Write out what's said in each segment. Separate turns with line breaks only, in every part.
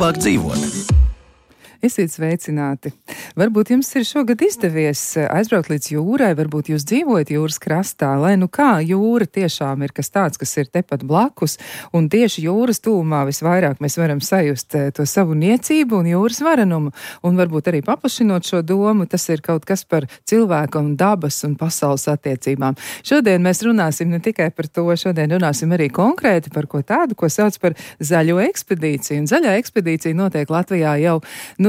labāk dzīvot.
Esiet sveicināti! Varbūt jums ir šogad izdevies aizbraukt līdz jūrai, varbūt jūs dzīvojat jūras krastā, lai nu kā jūra tiešām ir kas tāds, kas ir tepat blakus, un tieši jūras tūmā visvairāk mēs varam sajust to savu niecību un jūras varenumu, un varbūt arī paplašinot šo domu, tas ir kaut kas par cilvēku un dabas un pasaules attiecībām. Šodien mēs runāsim ne tikai par to, šodien runāsim arī konkrēti par ko tādu, ko sauc par zaļo ekspedīciju, un zaļā ekspedīcija notiek Latvijā jau,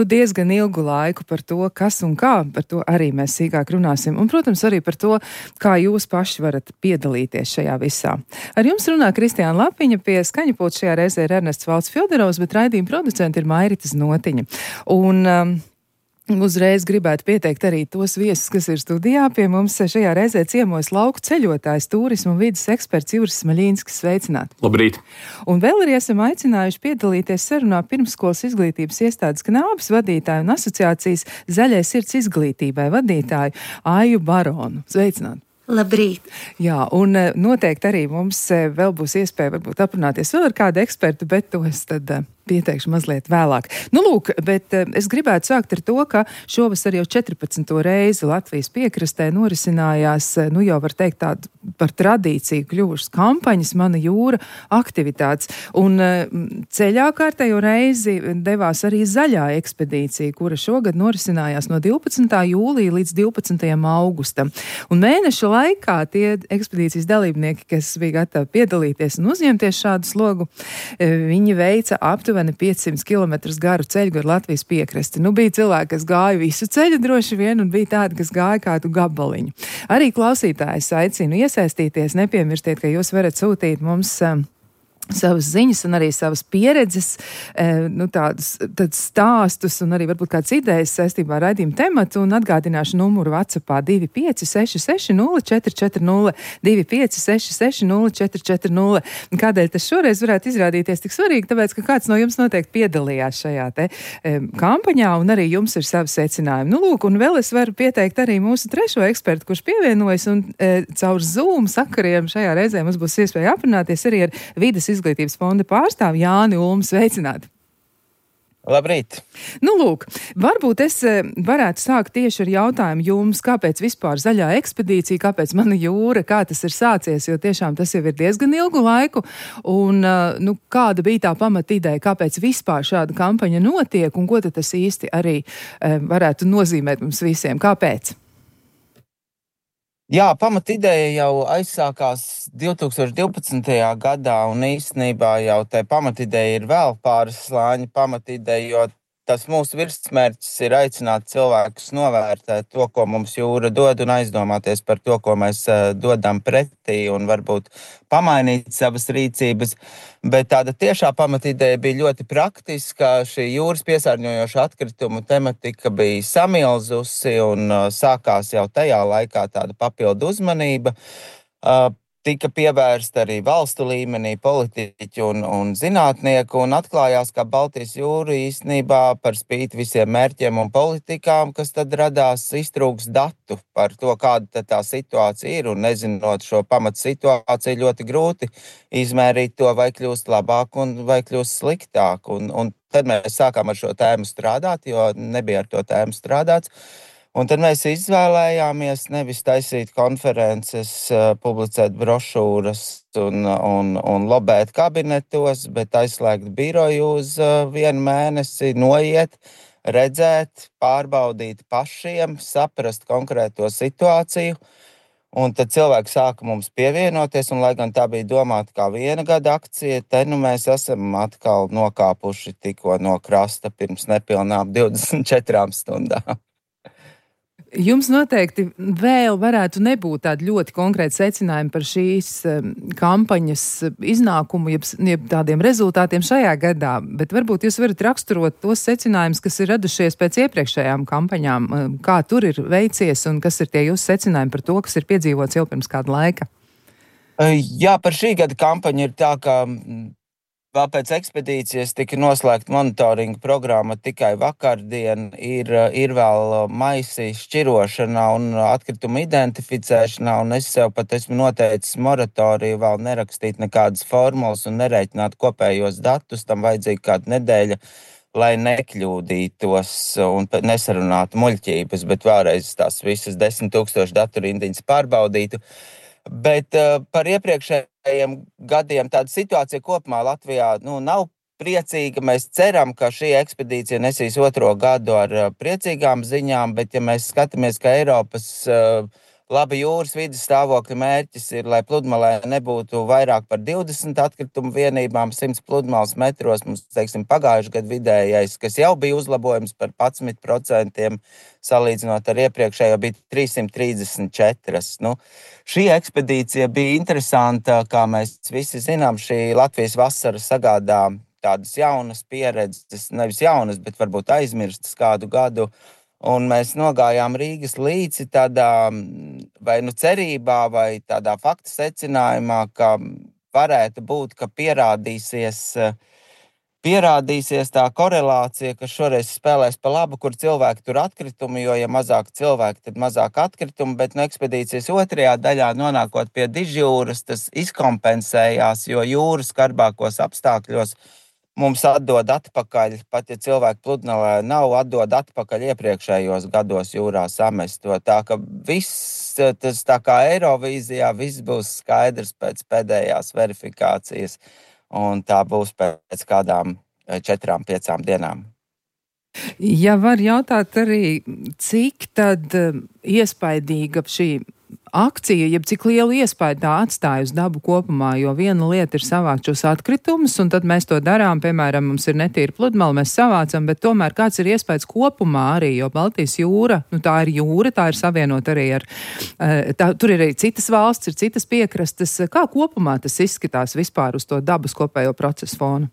diezgan ilgu laiku. Par to, kas un kā, par to arī mēs sīkāk runāsim. Un, protams, arī par to, kā jūs paši varat piedalīties šajā visā. Ar jums runā Kristiāna Lapiņa, pie skaņa pulta šajā reizē ir Ernests Valds-Fjodorovs, bet raidījuma producenti ir Mairita Znotiņa. Un uzreiz gribētu pieteikt arī tos viesus, kas ir studijā. Pie mums šajā reizē ciemos lauku ceļotājs, turismu un vides eksperts Juris Smaļinskis. Sveicināti!
Labrīt!
Un vēl arī esam aicinājuši piedalīties sarunā pirmsskolas izglītības iestādes Knābes vadītāju un asociācijas Zaļai sirds izglītībai vadītāju Aiju Baronu. Sveicināti!
Labrīt!
Jā, un noteikti arī mums vēl būs iespēja varbūt aprunāties vēl ar kādu ekspertu, bet to es tad pieteikšu mazliet vēlāk. Lūk, bet es gribētu sākt ar to, ka šovasar jau 14. reizi Latvijas piekrastē norisinājās, jau var teikt tādu par tradīciju kļuvušas kampaņas Mana jūra aktivitātes. Un ceļā kārtējo reizi devās arī zaļā ekspedīcija, kura šogad norisinājās no 12. jūlija līdz 12. augustam. Un mēneša laikā tie ekspedīcijas dalībnieki, kas bija gatavi piedalīties un uzņemties šādu slogu, viņi veica aptuveni 500 km garu ceļu gar Latvijas piekrasti. Bija cilvēki, kas gāja visu ceļu droši vien, un bija tādi, kas gāja kādu gabaliņu. Arī klausītājus aicinu iesaistīties, nepiemirstiet, ka jūs varat sūtīt mums savas ziņas un arī savas pieredzes, tādus stāstus un arī varbūt kāds idejas saistībā ar raidījumu tematu, un atgādināšu numuru WhatsAppā 2566 0440 2566 0440. Kādēļ tas šoreiz varētu izrādīties tik svarīgi? Tāpēc, ka kāds no jums noteikti piedalījās šajā te kampaņā, un arī jums ir savi secinājumi. Lūk, un vēl es varu pieteikt arī mūsu trešo ekspertu, kurš pievienojas, un caur Zoom sakariem šajā reizē mums būs iespēja aprunāties arī ar Vides izglītības fonda pārstāvi Jāni Ulmu. Sveicināti!
Labrīt!
Lūk, varbūt es varētu sākt tieši ar jautājumu jums, kāpēc vispār zaļā ekspedīcija, kāpēc Mana jūra, kā tas ir sācies, jo tiešām tas jau ir diezgan ilgu laiku, un kāda bija tā pamata ideja, kāpēc vispār šāda kampaņa notiek, un ko tad tas īsti arī varētu nozīmēt mums visiem, kāpēc?
Jā, pamatideja jau aizsākās 2012. gadā, un īstenībā jau tā pamatideja ir vēl pāris slāņi pamatideja, jo tas mūsu virsmērķis ir aicināt cilvēkus novērtēt to, ko mums jūra dod, un aizdomāties par to, ko mēs dodam pretī, un varbūt pamainīt savas rīcības. Bet tāda tiešā pamatideja bija ļoti praktiska. Šī jūras piesārņojoša atkritumu tematika bija samilzusi, un sākās jau tajā laikā tāda papildu uzmanība. Tika pievērsta arī valstu līmenī politiķi un zinātnieki, un atklājās, ka Baltijas jūra īstenībā par spīti visiem mērķiem un politikām, kas tad radās, iztrūks datu par to, kāda tā situācija ir, un nezinot šo pamatu situāciju, ļoti grūti izmērīt to, vai kļūst labāk un vai kļūst sliktāk. Un tad mēs sākām ar šo tēmu strādāt, jo nebija ar to tēmu strādāts. Un tad mēs izvēlējāmies nevis taisīt konferences, publicēt brošūras un lobēt kabinetos, bet aizslēgt biroju uz 1 mēnesi, noiet, redzēt, pārbaudīt pašiem, saprast konkrēto situāciju. Un tad cilvēki sāka mums pievienoties, un lai gan tā bija domāta kā 1 gada akcija, te mēs esam atkal nokāpuši tikko no krasta pirms nepilnām 24 stundām.
Jums noteikti vēl varētu nebūt tādi ļoti konkrēti secinājumi par šīs kampaņas iznākumu, jeb tādiem rezultātiem šajā gadā, bet varbūt jūs varat raksturot tos secinājumus, kas ir radušies pēc iepriekšējām kampaņām, kā tur ir veicies un kas ir tie jūsu secinājumi par to, kas ir piedzīvots jau pirms kāda laika?
Jā, par šī gada kampaņu ir tā, ka vēl pēc ekspedīcijas tika noslēgta monitoringa programma tikai vakardien, ir vēl maisi šķirošana un atkritumu identificēšana, un es sev pat esmu noteicis moratoriju vēl nerakstīt nekādas formulas un nerēķināt kopējos datus, tam vajadzīga kāda nedēļa, lai nekļūdītos un nesarunātu muļķības, bet vēlreiz tās visas 10 000 datorindiņas pārbaudītu. Bet par iepriekšējiem gadiem tāda situācija kopumā Latvijā nav priecīga. Mēs ceram, ka šī ekspedīcija nesīs 2. gadu ar priecīgām ziņām, bet ja mēs skatāmies, ka Eiropas laba jūras vides stāvokļa mērķis ir, lai pludmalē nebūtu vairāk par 20 atkritumu vienībām 100 pludmales metros. Mums, teiksim, pagājušajā gadu vidējais, kas jau bija uzlabojums par 11%, salīdzinot ar iepriekšējo, bija 334. Šī ekspedīcija bija interesanta, kā mēs visi zinām. Šī Latvijas vasara sagādā tādas jaunas pieredzes, nevis jaunas, bet varbūt aizmirstas kādu gadu. Un mēs nogājām Rīgas līci tādā vai cerībā, vai tādā fakta secinājumā, ka varētu būt, ka pierādīsies tā korelācija, ka šoreiz spēlēs pa labu, kur cilvēki tur atkritumi, jo ja mazāk cilvēki, tad mazāk atkritumi, bet ekspedīcijas 2. daļā nonākot pie Dižjūras, tas izkompensējās, jo jūras skarbākos apstākļos mums atdod atpakaļ, pat ja cilvēku pludmalē nav, atdod atpakaļ iepriekšējos gados jūrā samesto. Tā ka viss, tas tā kā Eirovīzijā, viss būs skaidrs pēc pēdējās verifikācijas, un tā būs pēc kādām 4-5 dienām.
Ja var jautāt arī, cik tad iespaidīga šī akcija, jeb cik lielu iespaidu tā atstāja uz dabu kopumā, jo viena lieta ir savākt šos atkritumus, un tad mēs to darām, piemēram, mums ir netīra pludmale, mēs savācam, bet tomēr kāds ir iespējas kopumā arī, jo Baltijas jūra, tā ir jūra, tā ir savienot arī ar, tur ir arī citas valsts, ir citas piekrastes. Kā kopumā tas izskatās vispār uz to dabas kopējo procesu fonu?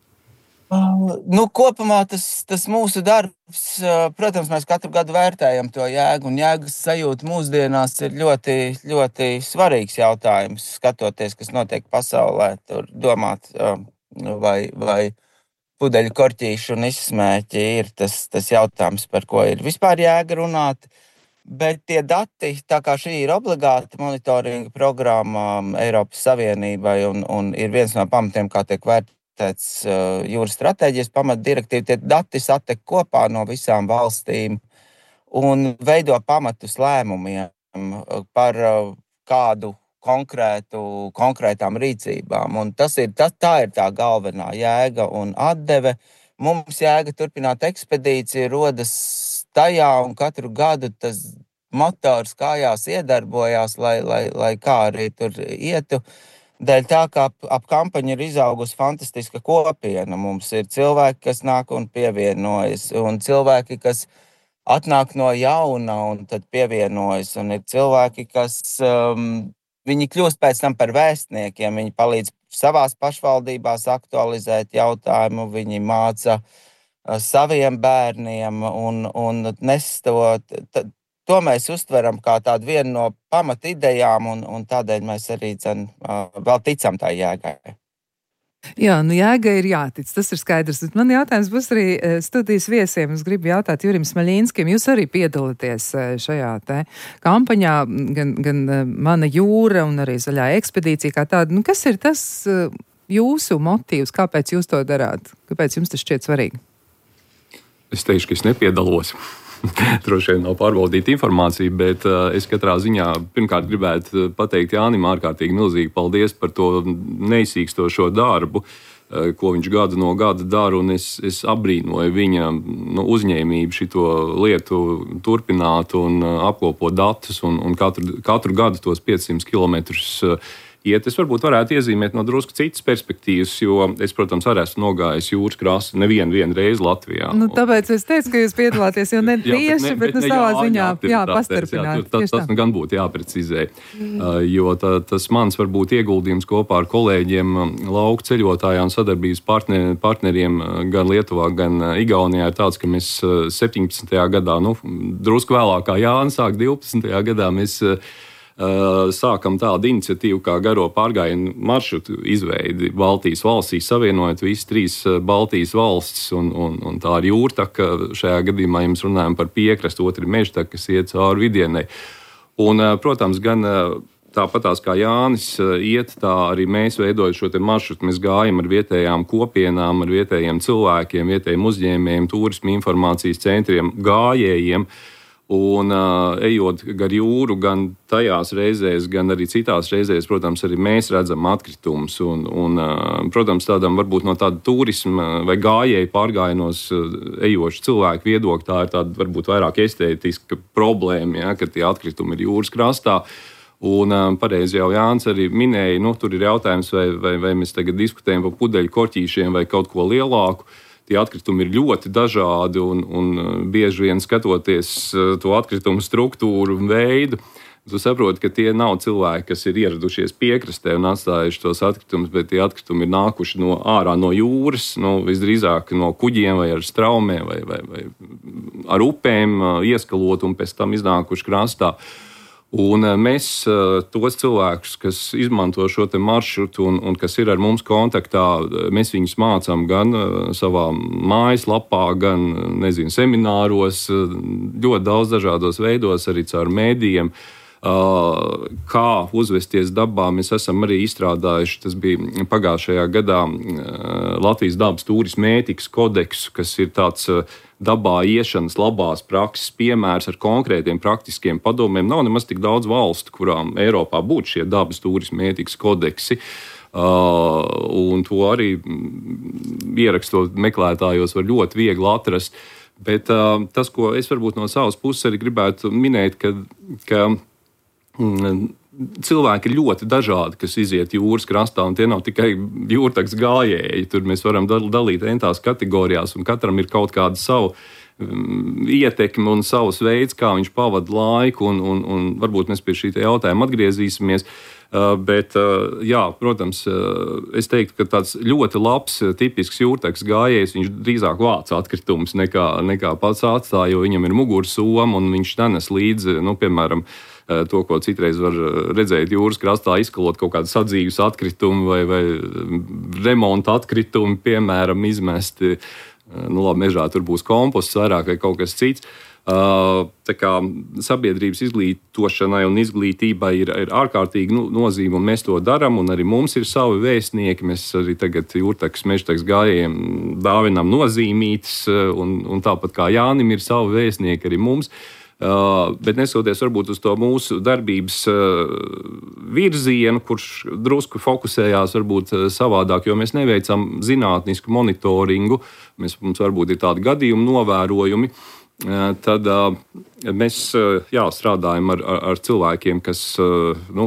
Kopumā tas mūsu darbs, protams, mēs katru gadu vērtējam to jēgu, un jēgas sajūta mūsdienās ir ļoti, ļoti svarīgs jautājums, skatoties, kas notiek pasaulē, tur domāt, vai pudeļu korķīšu un izsmēķi ir tas jautājums, par ko ir vispār jēga runāt. Bet tie dati, tā kā šī ir obligāta monitoringa programma Eiropas Savienībai un ir viens no pamatiem, kā tiek vērtēts jūras stratēģijas pamatdirektīva, tie dati satiek kopā no visām valstīm un veido pamatus lēmumiem par kādu konkrētām rīcībām. Un tā ir tā galvenā jēga un atdeve. Mums jēga turpināt ekspedīciju rodas tajā, un katru gadu tas motors kājās iedarbojās, lai kā arī tur ietu. Dēļ tā, ka ap kampaņu ir izaugusi fantastiska kopiena. Mums ir cilvēki, kas nāk un pievienojas, un cilvēki, kas atnāk no jauna un tad pievienojas, un ir cilvēki, kas viņi kļūst pēc tam par vēstniekiem, viņi palīdz savās pašvaldībās aktualizēt jautājumu, viņi māca saviem bērniem un nestot. To mēs uztveram kā tādu vienu no pamatidejām, un tādēļ mēs arī vēl ticam tā jēgai.
Jā, jēga ir jātic, tas ir skaidrs. Man jautājums būs arī studijas viesiem. Es gribu jautāt Jurim Smaļīnskim, jūs arī piedalāties šajā te kampaņā, gan Mana jūra un arī Zaļā ekspedīcija kā tāda. Kas ir tas jūsu motīvs, kāpēc jūs to darāt? Kāpēc jums tas šķiet svarīgi?
Es teikšu, ka es nepiedalos. Droši vien nav pārbaudīta informācija, bet es katrā ziņā pirmkārt gribētu pateikt Jānim ārkārtīgi milzīgi paldies par to neizsīkstošo darbu, ko viņš gadu no gada dara, un es abrīnoju viņa uzņēmību šito lietu turpināt un apkopot datus un katru gadu tos 500 kilometrus iet. Es varbūt varētu iezīmēt no drusku citas perspektīvas, jo es, protams, arī esmu nogājis jūras krasti nevienu reizi Latvijā.
Tāpēc es teicu, ka jūs piedalāties, jo ne tieši, bet savā ziņā pastarpināt.
Tas gan būtu jāprecizē, jo tas mans varbūt ieguldījums kopā ar kolēģiem lauku ceļotājā un sadarbības partneriem gan Lietuvā, gan Igaunijā ir tāds, ka mēs 17. gadā, drusku vēlāk kā Jānis sāk 12. gadā, mēs sākam tādu iniciatīvu kā garo pārgājienu maršrutu izveidi Baltijas valstīs, savienojot visas 3 Baltijas valstis, un tā ir jūrtaka. Šajā gadījumā jums runājam par piekrastu, otra ir mežtaka, kas iet cauri Vidienai. Un, protams, gan tāpatās kā Jānis iet, tā arī mēs veidojam šo te maršrutu. Mēs gājam ar vietējām kopienām, ar vietējiem cilvēkiem, vietējiem uzņēmējiem, turismu informācijas centriem, gājējiem. Un ejot gar jūru, gan tajās reizēs, gan arī citās reizēs, protams, arī mēs redzam atkritumus. Protams, tādam varbūt no tāda turisma vai gājēju pārgājienos ejošu cilvēku viedokļa, tā ir tāda varbūt vairāk estētiska problēma, ja, ka tie atkritumi ir jūras krastā. Un pareizi jau Jānis arī minēja, tur ir jautājums, vai mēs tagad diskutējam par pudeļu korķīšiem vai kaut ko lielāku. Tie atkritumi ir ļoti dažādi un bieži vien skatoties to atkritumu struktūru un veidu, tu saproti, ka tie nav cilvēki, kas ir ieradušies piekrastē un atstājuši tos atkritumus, bet tie atkritumi ir nākuši ārā no jūras, visdrīzāk no kuģiem vai ar straumēm vai ar upēm ieskalot un pēc tam iznākuši krastā. Un mēs tos cilvēkus, kas izmanto šo te maršrutu un kas ir ar mums kontaktā, mēs viņus mācām gan savā mājaslapā, gan, semināros, ļoti daudz dažādos veidos, arī caur mēdījiem. Kā uzvesties dabā, mēs esam arī izstrādājuši, tas bija pagājušajā gadā, Latvijas dabas turisma ētikas kodeksu, kas ir tāds dabā iešanas labās prakses piemērs ar konkrētiem praktiskiem padomiem. Nav nemaz tik daudz valstu, kurām Eiropā būtu šie dabas turisma ētikas kodeksi. Un to arī ierakstot meklētājos var ļoti viegli atrast. Bet tas, ko es varbūt no savas puses arī gribētu minēt, ka cilvēki ir ļoti dažādi, kas iziet jūras krastā, un tie nav tikai jūrtaks gājēji. Tur mēs varam dalīt entās kategorijās, un katram ir kaut kāda savu ietekme un savs veids, kā viņš pavada laiku, un varbūt mēs pie šī jautājuma atgriezīsimies. Bet, jā, protams, es teiktu, ka tāds ļoti labs, tipisks jūrtaks gājējs, viņš drīzāk vāc atkritumus nekā pats atstāja, jo viņam ir mugursoma, un viņš nenes līdzi, piemēram, to, ko citreiz var redzēt jūras krastā, izkalot kaut kādu sadzīves atkritumu vai remonta atkritumu, piemēram, izmesti. Labi, mežā tur būs komposts vairāk vai kaut kas cits. Tā kā sabiedrības izglītošanai un izglītībai ir ārkārtīgi nozīme, un mēs to darām, un arī mums ir savi vēstnieki. Mēs arī tagad jūrtaks, mežtaks gājējiem dāvinām nozīmītas, un tāpat kā Jānim ir savi vēstnieki arī mums. Bet nesoties varbūt uz to mūsu darbības virzienu, kurš drusku fokusējās varbūt savādāk, jo mēs neveicam zinātnisku monitoringu, mums varbūt ir tādi gadījumi novērojumi, tad mēs strādājam ar cilvēkiem, kas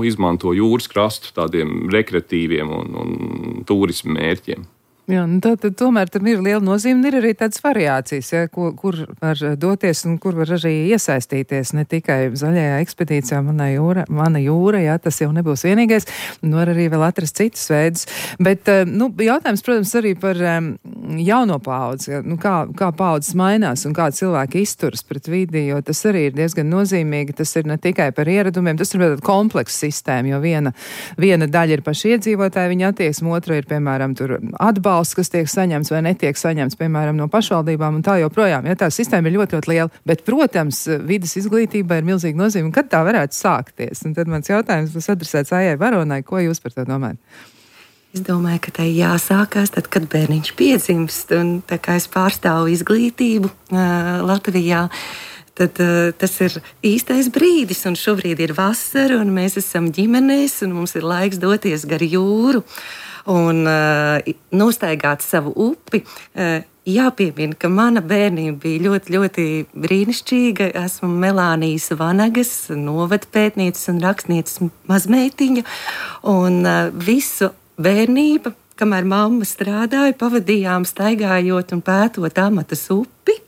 izmanto jūras krastu tādiem rekreatīviem un turismu mērķiem.
Jā, tad tomēr tam ir liela nozīme, un ir arī tādas variācijas, ja, kur var doties un kur var arī iesaistīties, ne tikai zaļajā ekspedīcijā Mana jūra, jā, tas jau nebūs vienīgais, var arī vēl atrast citus veidus. Bet, jautājums, protams, arī par jauno paudzi, kā paudzes mainās un kā cilvēki izturas pret vidi, jo tas arī ir diezgan nozīmīgi, tas ir ne tikai par ieradumiem, tas ir komplekss sistēma, jo viena daļa ir paši iedzīvotāji, viņa attieksme, otra ir, piemēram, tur atbalsts, kas tiek saņemts vai netiek saņemts, piemēram, no pašvaldībām un tā joprojām. Ja, tā sistēma ir ļoti, ļoti liela, bet, protams, vides izglītība ir milzīga nozīme. Kad tā varētu sākties? Un tad mans jautājums būs adresēts Aijai Baronai. Ko jūs par to domājat?
Es domāju, ka tai jāsākās tad, kad bērniņš piedzimst, un tā kā es pārstāvu izglītību Latvijā, tad tas ir īstais brīdis, un šobrīd ir vasara, un mēs esam ģimenēs, un mums ir laiks doties gar jūru un nostaigāt savu upi. Jāpiemina, ka mana bērnība bija ļoti, ļoti brīnišķīga. Esmu Melānijas Vanagas novadpētnieces un rakstnieces mazmeitiņa, un visu bērnību, kamēr mamma strādāja, pavadījām staigājot un pētot Amatas upi.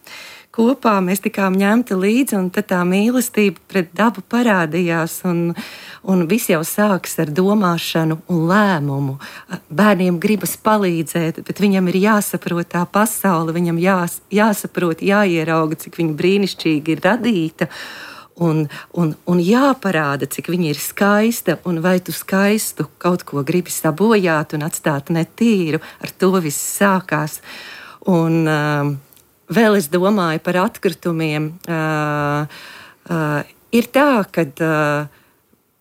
Kopā mēs tikām ņemti līdzi, un tad tā mīlestība pret dabu parādījās, un viss jau sākas ar domāšanu un lēmumu. Bērniem gribas palīdzēt, bet viņam ir jāsaprot tā pasaule, viņam jāsaprot, jāierauga, cik viņa brīnišķīgi ir radīta, un jāparāda, cik viņa ir skaista, un vai tu skaistu kaut ko gribi sabojāt un atstāt netīru. Ar to viss sākās. Un vēl es domāju par atkritumiem. Ir tā, ka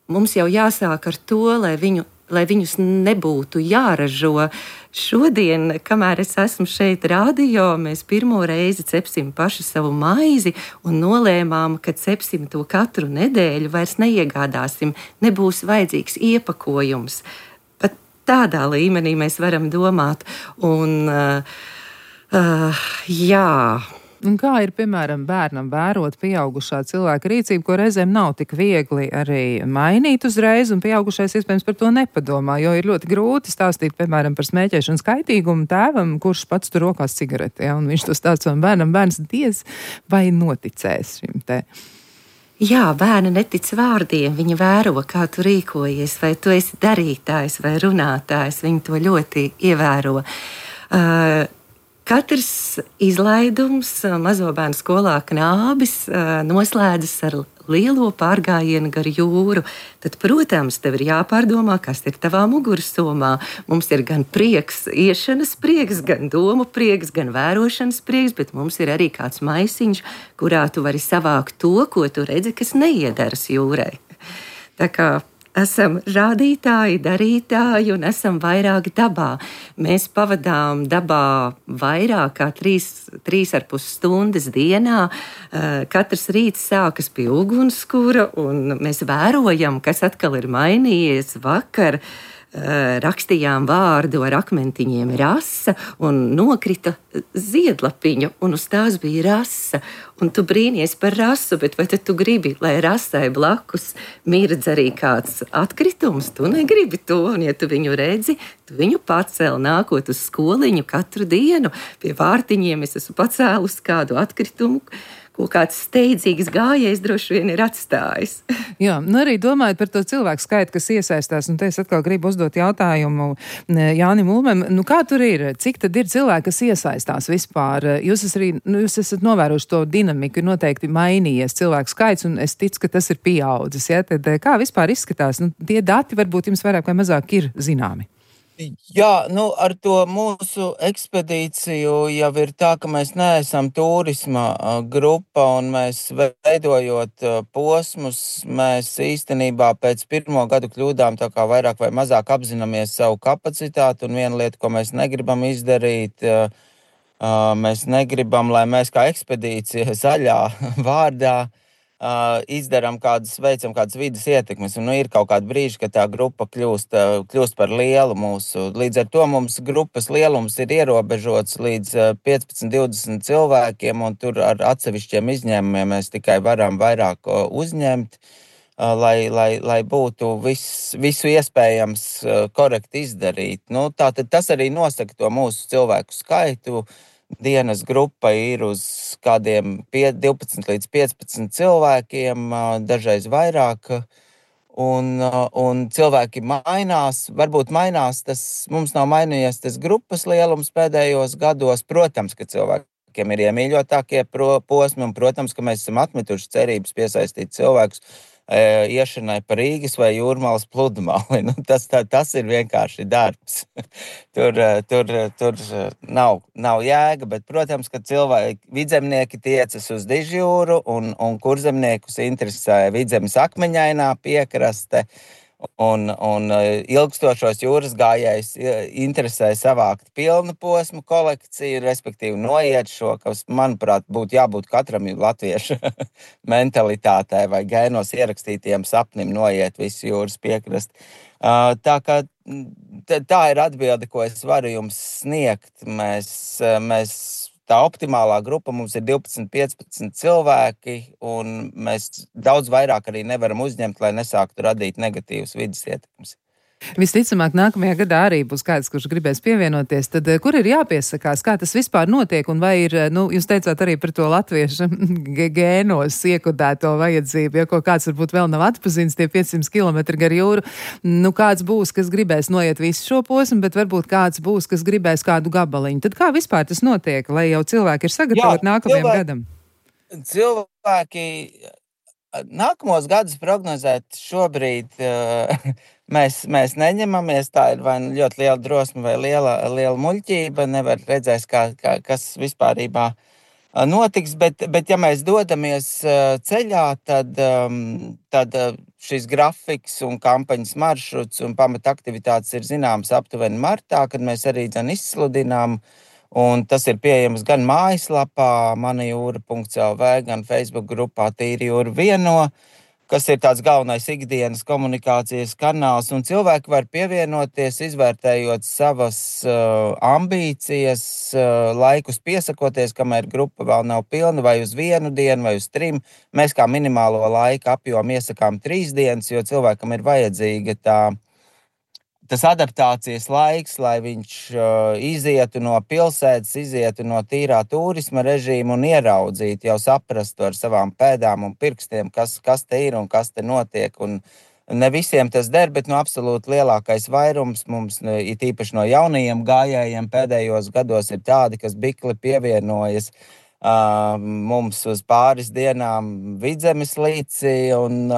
mums jau jāsāk ar to, lai viņus nebūtu jāražo. Šodien, kamēr es esmu šeit radio, mēs pirmo reizi cepsim paši savu maizi un nolēmām, ka cepsim to katru nedēļu, vairs neiegādāsim, nebūs vajadzīgs iepakojums. Pat tādā līmenī mēs varam domāt. Un, jā...
Un kā ir, piemēram, bērnam vērot pieaugušā cilvēka rīcību, ko reizēm nav tik viegli arī mainīt uzreiz, un pieaugušais iespējams par to nepadomā, jo ir ļoti grūti stāstīt, piemēram, par smēķēšanas kaitīgumu tēvam, kurš pats tur rokās cigareti, ja, un viņš to stāsta savam bērnam, bērns diez vai noticēs šim te.
Jā, bērni netic vārdiem, viņi vēro, kā tu rīkojies, vai tu esi darītājs vai runātājs, viņi to ļoti ievēro. Katrs izlaidums mazo bērnu skolā Knābis noslēdzas ar lielo pārgājienu gar jūru. Tad, protams, tev ir jāpārdomā, kas ir tavā mugursomā. Mums ir gan prieks, iešanas prieks, gan domu prieks, gan vērošanas prieks, bet mums ir arī kāds maisiņš, kurā tu vari savākt to, ko tu redzi, kas neiederas jūrai. Tā kā esam rādītāji, darītāji un esam vairāk dabā. Mēs pavadām dabā vairāk kā 3,5 stundas dienā. Katrs rīts sākas pie ugunskura un mēs vērojam, kas atkal ir mainījies vakar. Rakstījām vārdu ar akmentiņiem rasa un nokrita ziedlapiņu, un uz tās bija rasa. Un tu brīnies par rasu, bet vai tad tu gribi, lai rasai blakus mirdz arī kāds atkritums? Tu negribi to, un ja tu viņu redzi, tu viņu pacēl nākot uz skoliņu katru dienu. Pie vārtiņiem es esmu pacēlus kādu atkritumu, ko kāds steidzīgs gājējs droši vien ir atstājis.
Jā, nu arī domājot par to cilvēku skaitu, kas iesaistās, un te es atkal gribu uzdot jautājumu Jānim Ulmem, nu kā tur ir, cik tad ir cilvēki, kas iesaistās vispār? Jūs esat novērojuši to dinamiku, ir noteikti mainījies cilvēku skaits, un es ticu, ka tas ir pieaudzis, ja? Tad kā vispār izskatās? Nu, tie dati varbūt jums vairāk vai mazāk ir zināmi.
Jā, nu ar to mūsu ekspedīciju jau ir tā, ka mēs neesam turisma grupa un mēs veidojot posmus, mēs īstenībā pēc pirmo gadu kļūdām tā kā vairāk vai mazāk apzināmies savu kapacitāti, un viena lieta, ko mēs negribam izdarīt, mēs negribam, lai mēs kā ekspedīcija zaļā vārdā veicam kādas vidas ietekmes, un ir kaut kādi brīži, kad tā grupa kļūst par lielu mūsu. Līdz ar to mums grupas lielums ir ierobežots līdz 15-20 cilvēkiem, un tur ar atsevišķiem izņēmumiem mēs tikai varam vairāk uzņemt, lai būtu visu iespējams korekti izdarīt. Nu, tātad tas arī nosaka to mūsu cilvēku skaitu. Dienas grupa ir uz kādiem 12 līdz 15 cilvēkiem, dažreiz vairāk, un cilvēki mainās. Varbūt mainās, mums nav mainījies tas grupas lielums pēdējos gados. Protams, ka cilvēkiem ir iemīļotākie posmi, un, protams, ka mēs esam atmetuši cerības piesaistīt cilvēkus iešanai pa Rīgas vai Jūrmalas pludmali. Nu, tas ir vienkārši darbs. Tur nav jēga, bet, protams, ka vidzemnieki tiecas uz Dižjūru un kurzemniekus interesē Vidzemes akmeņainā piekraste. Un ilgstošos jūras gājējus interesē savākt pilnu posmu kolekciju, respektīvi noiet šo, kas, manuprāt, būtu jābūt katram latviešu mentalitātei vai gēnos ierakstītiem sapnim noiet visu jūras piekrasti. Tā ir atbilde, ko es varu jums sniegt. Tā optimālā grupa mums ir 12-15 cilvēki, un mēs daudz vairāk arī nevaram uzņemt, lai nesāktu radīt negatīvas vidas ietekmes.
Visticamāk, nākamajā gadā arī būs kāds, kurš gribēs pievienoties. Tad kur ir jāpiesakās, kā tas vispār notiek, un vai ir, jūs teicāt arī par to latviešu gēnos iekodēto vajadzību, ja ko kāds varbūt vēl nav atpazīstams, tie 500 km gar jūru. Nu, kāds būs, kas gribēs noiet visu šo posmu, bet varbūt kāds būs, kas gribēs kādu gabaliņu. Tad kā vispār tas notiek, lai jau cilvēki ir sagatavoti nākamajam gadam?
Cilvēki nākamos gadus prognozēt šobrīd mēs neņemamies. Tā ir vai ļoti liela drosme vai liela muļķība. Nevar redzēt, kas vispārībā notiks, bet ja mēs dodamies ceļā, tad šis grafiks un kampaņas maršruts un pamata aktivitātes ir zināms aptuveni martā, kad mēs arī izsludinām. Un tas ir pieejams gan mājaslapā manajūra.lv, gan Facebook grupā Tīri jūra vieno, kas ir tāds galvenais ikdienas komunikācijas kanāls, un cilvēki var pievienoties, izvērtējot savas ambīcijas, laikus piesakoties, kamēr grupa vēl nav pilna, vai uz 1 dienu, vai uz 3. Mēs kā minimālo laika apjomu iesakām 3 dienas, jo cilvēkam ir vajadzīga tas adaptācijas laiks, lai viņš izietu no pilsētas, izietu no tīrā turisma režīma un ieraudzītu, jau saprastu ar savām pēdām un pirkstiem, kas te ir un kas te notiek. Un ne visiem tas der, bet absolūti lielākais vairums mums, it īpaši no jaunajiem gājējiem pēdējos gados, ir tādi, kas bikli pievienojas mums uz pāris dienām Vidzemes līcī un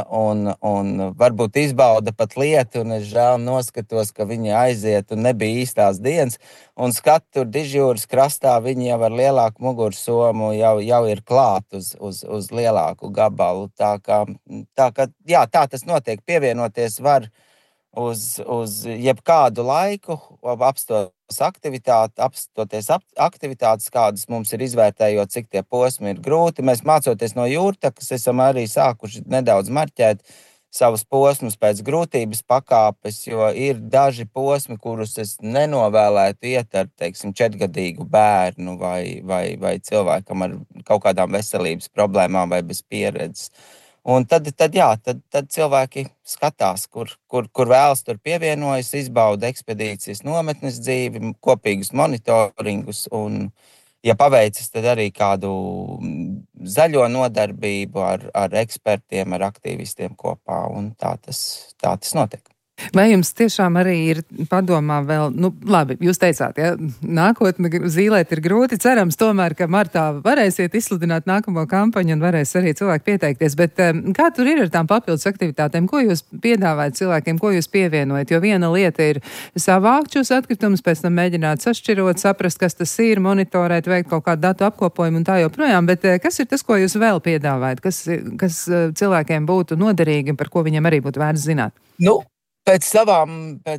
varbūt izbauda pat lietu, un es žēl noskatos, ka viņi aiziet un nebija īstās dienas, un skatu Dižjūras krastā viņi jau ar lielāku mugursomu jau ir klāt uz lielāku gabalu. Tā kā tas notiek, pievienoties var uz jebkādu laiku, apstoties aktivitātes, kādas mums ir izvērtējot, cik tie posmi ir grūti. Mēs mācoties no Jūrtakas, esam arī sākuši nedaudz marķēt savus posmus pēc grūtības pakāpes, jo ir daži posmi, kurus es nenovēlētu iet ar, teiksim, 4-gadīgu bērnu vai cilvēkam ar kaut kādām veselības problēmām vai bez pieredzes. Un tad cilvēki skatās, kur vēlas, tur pievienojas, izbauda ekspedīcijas nometnes dzīvi, kopīgus monitoringus un, ja paveicis, tad arī kādu zaļo nodarbību ar ekspertiem, ar aktīvistiem kopā, un tā tas notiek.
Vai jums tiešām arī ir padomā vēl, labi, jūs teicāt, ja, nākotne zīlēt ir grūti, cerams tomēr, ka martā varēsiet izsludināt nākamo kampaņu un varēs arī cilvēki pieteikties, bet kā tur ir ar tām papildus aktivitātēm, ko jūs piedāvājat cilvēkiem, ko jūs pievienojat, jo viena lieta ir savākt šos atkritumus, pēc tam mēģināt sašķirot, saprast, kas tas ir, monitorēt, veikt kaut kādu datu apkopojumu un tā joprojām, bet kas ir tas, ko jūs vēl piedāvājat, kas cilvēkiem būtu noderīgi un par ko viņiem arī būtu vērts zināt?
Pēc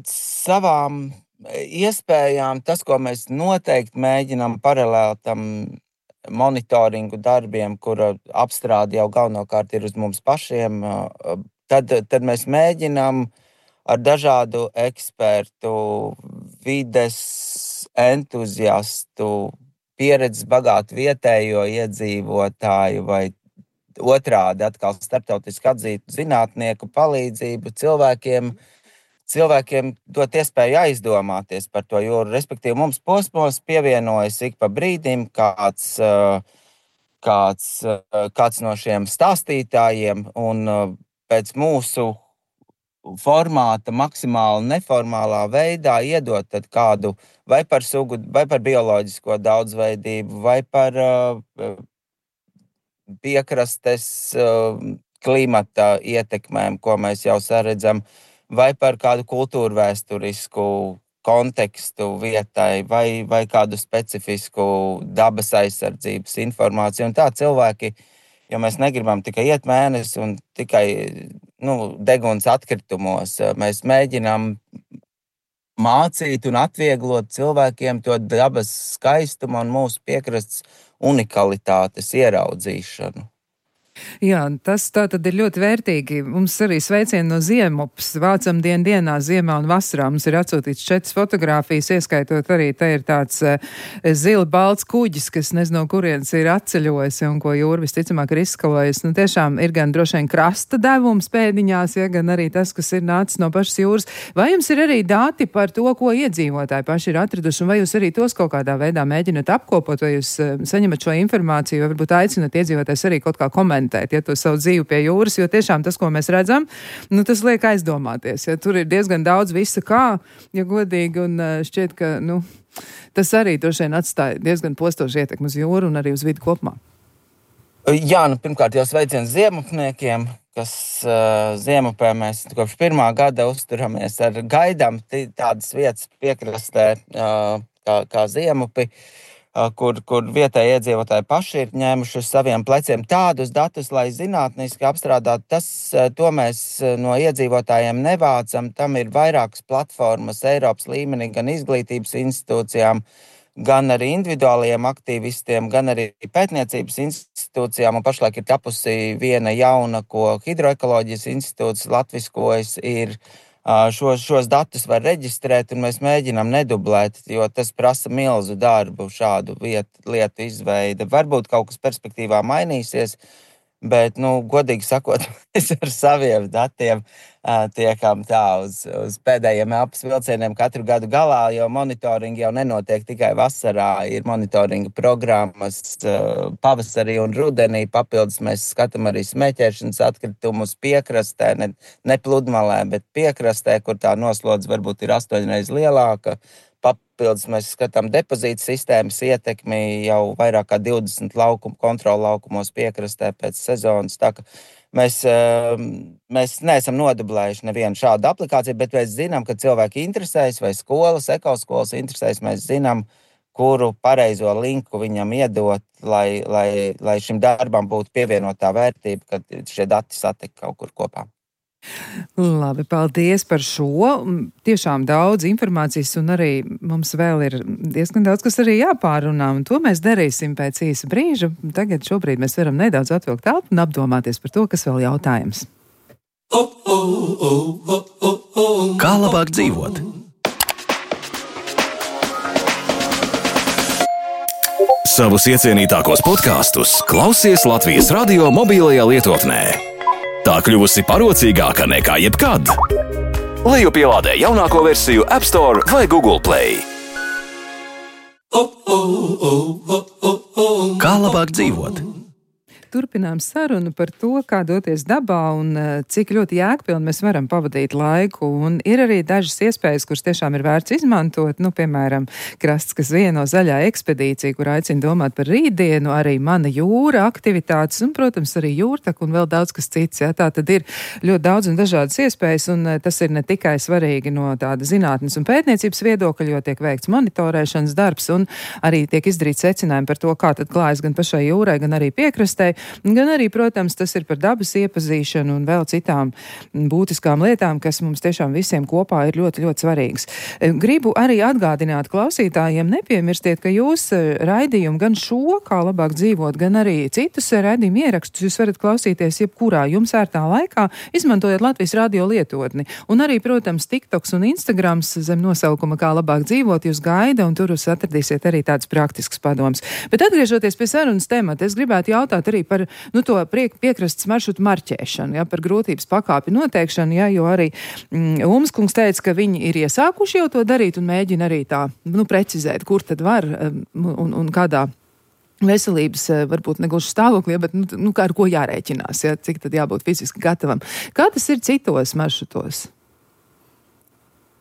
savām iespējām, tas, ko mēs noteikti mēģinām paralēli tam monitoringu darbiem, kura apstrāde jau galvenokārt ir uz mums pašiem, tad mēs mēģinām ar dažādu ekspertu, vides entuziastu, pieredzes bagātu vietējo iedzīvotāju vai otrādi atkal starptautiski atzītu zinātnieku palīdzību cilvēkiem dot iespēju aizdomāties par to jūru. Respektīvi, mums posmos pievienojas ik pa brīdim kāds no šiem stāstītājiem, un pēc mūsu formāta maksimāli neformālā veidā iedot kādu vai par sugu, vai par bioloģisko daudzveidību, vai par piekrastes klimata ietekmēm, ko mēs jau saredzam, vai par kādu kultūrvēsturisku kontekstu vietai, vai kādu specifisku dabas aizsardzības informāciju. Un tā cilvēki, jo mēs negribam tikai iet mēnesi un tikai deguns atkritumos, mēs mēģinām mācīt un atvieglot cilvēkiem to dabas skaistumu un mūsu piekrastes unikalitātes ieraudzīšanu.
Jā, tas tā tad ir ļoti vērtīgi. Mums arī sveicieni no Ziemupas. Vācam dienā, ziemā un vasarā. Mums ir atsūtīts 4 fotogrāfijas, ieskaitot arī te ir tāds zili balts kuģis, kas nezinu, kurienes ir atceļojis un ko jūra visticamāk ir izskalojis. Tiešām ir gan droši vien krasta devums pēdiņās, ja, gan arī tas, kas ir nācis no pašas jūras. Vai jums ir arī dati par to, ko iedzīvotāji paši ir atraduši, un vai jūs arī tos kaut kādā veidā mēģināt apkopot, vai jūs saņemat šo informāciju, vai varbūt aicinat iedzīvotājs arī kaut kā komentēt, ja to savu dzīvi pie jūras, jo tiešām tas, ko mēs redzam, tas liek aizdomāties. Ja, tur ir diezgan daudz visa kā, ja godīgi, un šķiet, ka tas arī droši vien atstāja diezgan postošu ietekmi uz jūru un arī uz vidi kopumā.
Jā, pirmkārt jau sveiciens ziemupniekiem, kas Ziemupē mēs kopš 1. gada uzturamies ar gaidām tādas vietas piekrastē kā Ziemupi. kur vietēji iedzīvotāji paši ir ņēmuši uz saviem pleciem tādus datus, lai zinātniski apstrādātu. To mēs no iedzīvotājiem nevācam. Tam ir vairākas platformas Eiropas līmenī, gan izglītības institūcijām, gan arī individuālajiem aktīvistiem, gan arī pētniecības institūcijām. Un pašlaik ir tapusi viena jauna, ko Hidroekoloģijas institūts latviskojas, ir šos datus var reģistrēt, un mēs mēģinām nedublēt, jo tas prasa milzu darbu šādu lietu izveide. Varbūt kaut kas perspektīvā mainīsies, bet, godīgi sakot, mēs ar saviem datiem tiekam tā uz pēdējiem elpas vilcieniem katru gadu galā, jo monitoringi jau nenotiek tikai vasarā, ir monitoringa programmas pavasarī un rudenī. Papildus mēs skatām arī smēķēšanas atkritumus piekrastē, ne pludmalē, bet piekrastē, kur tā noslodze varbūt ir 8 reizes lielāka. Papildus mēs skatām depozītu sistēmas ietekmi jau vairāk kā 20 kontrolu laukumos piekrastē pēc sezonas. Tā ka mēs neesam nodublējuši nevienu šādu aplikāciju, bet mēs zinām, ka cilvēki interesējas vai skolas, ekoskolas interesējas. Mēs zinām, kuru pareizo linku viņam iedot, lai šim darbam būtu pievienotā vērtība, kad šie dati satik kaut kur kopā.
Labi, paldies par šo. Tiešām daudz informācijas, un arī mums vēl ir diezgan daudz, kas arī jāpārunā, un to mēs darīsim pēc īsa brīža. Tagad šobrīd mēs varam nedaudz atvilkt telpu un apdomāties par to, kas vēl jautājums.
Kā labāk dzīvot? Savus iecienītākos podkastus klausies Latvijas radio mobilajā lietotnē. Tā kļuvusi parocīgāka nekā jebkad. Lejupielādē jaunāko versiju App Store vai Google Play. Kā labāk dzīvot?
Turpinām sarunu par to, kā doties dabā un cik ļoti jēgpilni mēs varam pavadīt laiku. Un ir arī dažas iespējas, kuras tiešām ir vērts izmantot. Piemēram, Krasts, kas vieno zaļā ekspedīcija, kur aicina domāt par rītdienu, arī Mana jūra aktivitātes un, protams, arī jūrtaka un vēl daudz kas cits. Ja? Tā tad ir ļoti daudz un dažādas iespējas, un tas ir ne tikai svarīgi no tāda zinātnes un pētniecības viedokļa, jo tiek veikts monitorēšanas darbs un arī tiek izdarīts secinājumi par to, kā tad klājas gan pašai jūrai, gan arī piekrastei. Gan arī, protams, tas ir par dabas iepazīšanu un vēl citām būtiskām lietām, kas mums tiešām visiem kopā ir ļoti, ļoti svarīgas. Gribu arī atgādināt klausītājiem, nepiemirstiet, ka jūs raidījumu gan šo, kā labāk dzīvot, gan arī citus raidījumu ierakstus jūs varat klausīties jebkurā jums ērtā laikā, izmantojot Latvijas radio lietotni. Un arī, protams, TikToks un Instagrams zem nosaukuma Kā labāk dzīvot jūs gaida, un tur jūs atradīsiet arī tāds praktisks padoms. Bet atgriežoties pie sarunas temata, es gribētu jautāt arī par to piekrastes maršrutu marķēšanu, ja, par grūtības pakāpi noteikšanu, ja, jo arī Ulmas kungs teica, ka viņi ir iesākuši jau to darīt un mēģina arī tā, precizēt, kur tad var un kādā veselības, varbūt negluži stāvoklī, bet, ar ko jārēķinās, ja, cik tad jābūt fiziski gatavam. Kā tas ir citos maršrutos?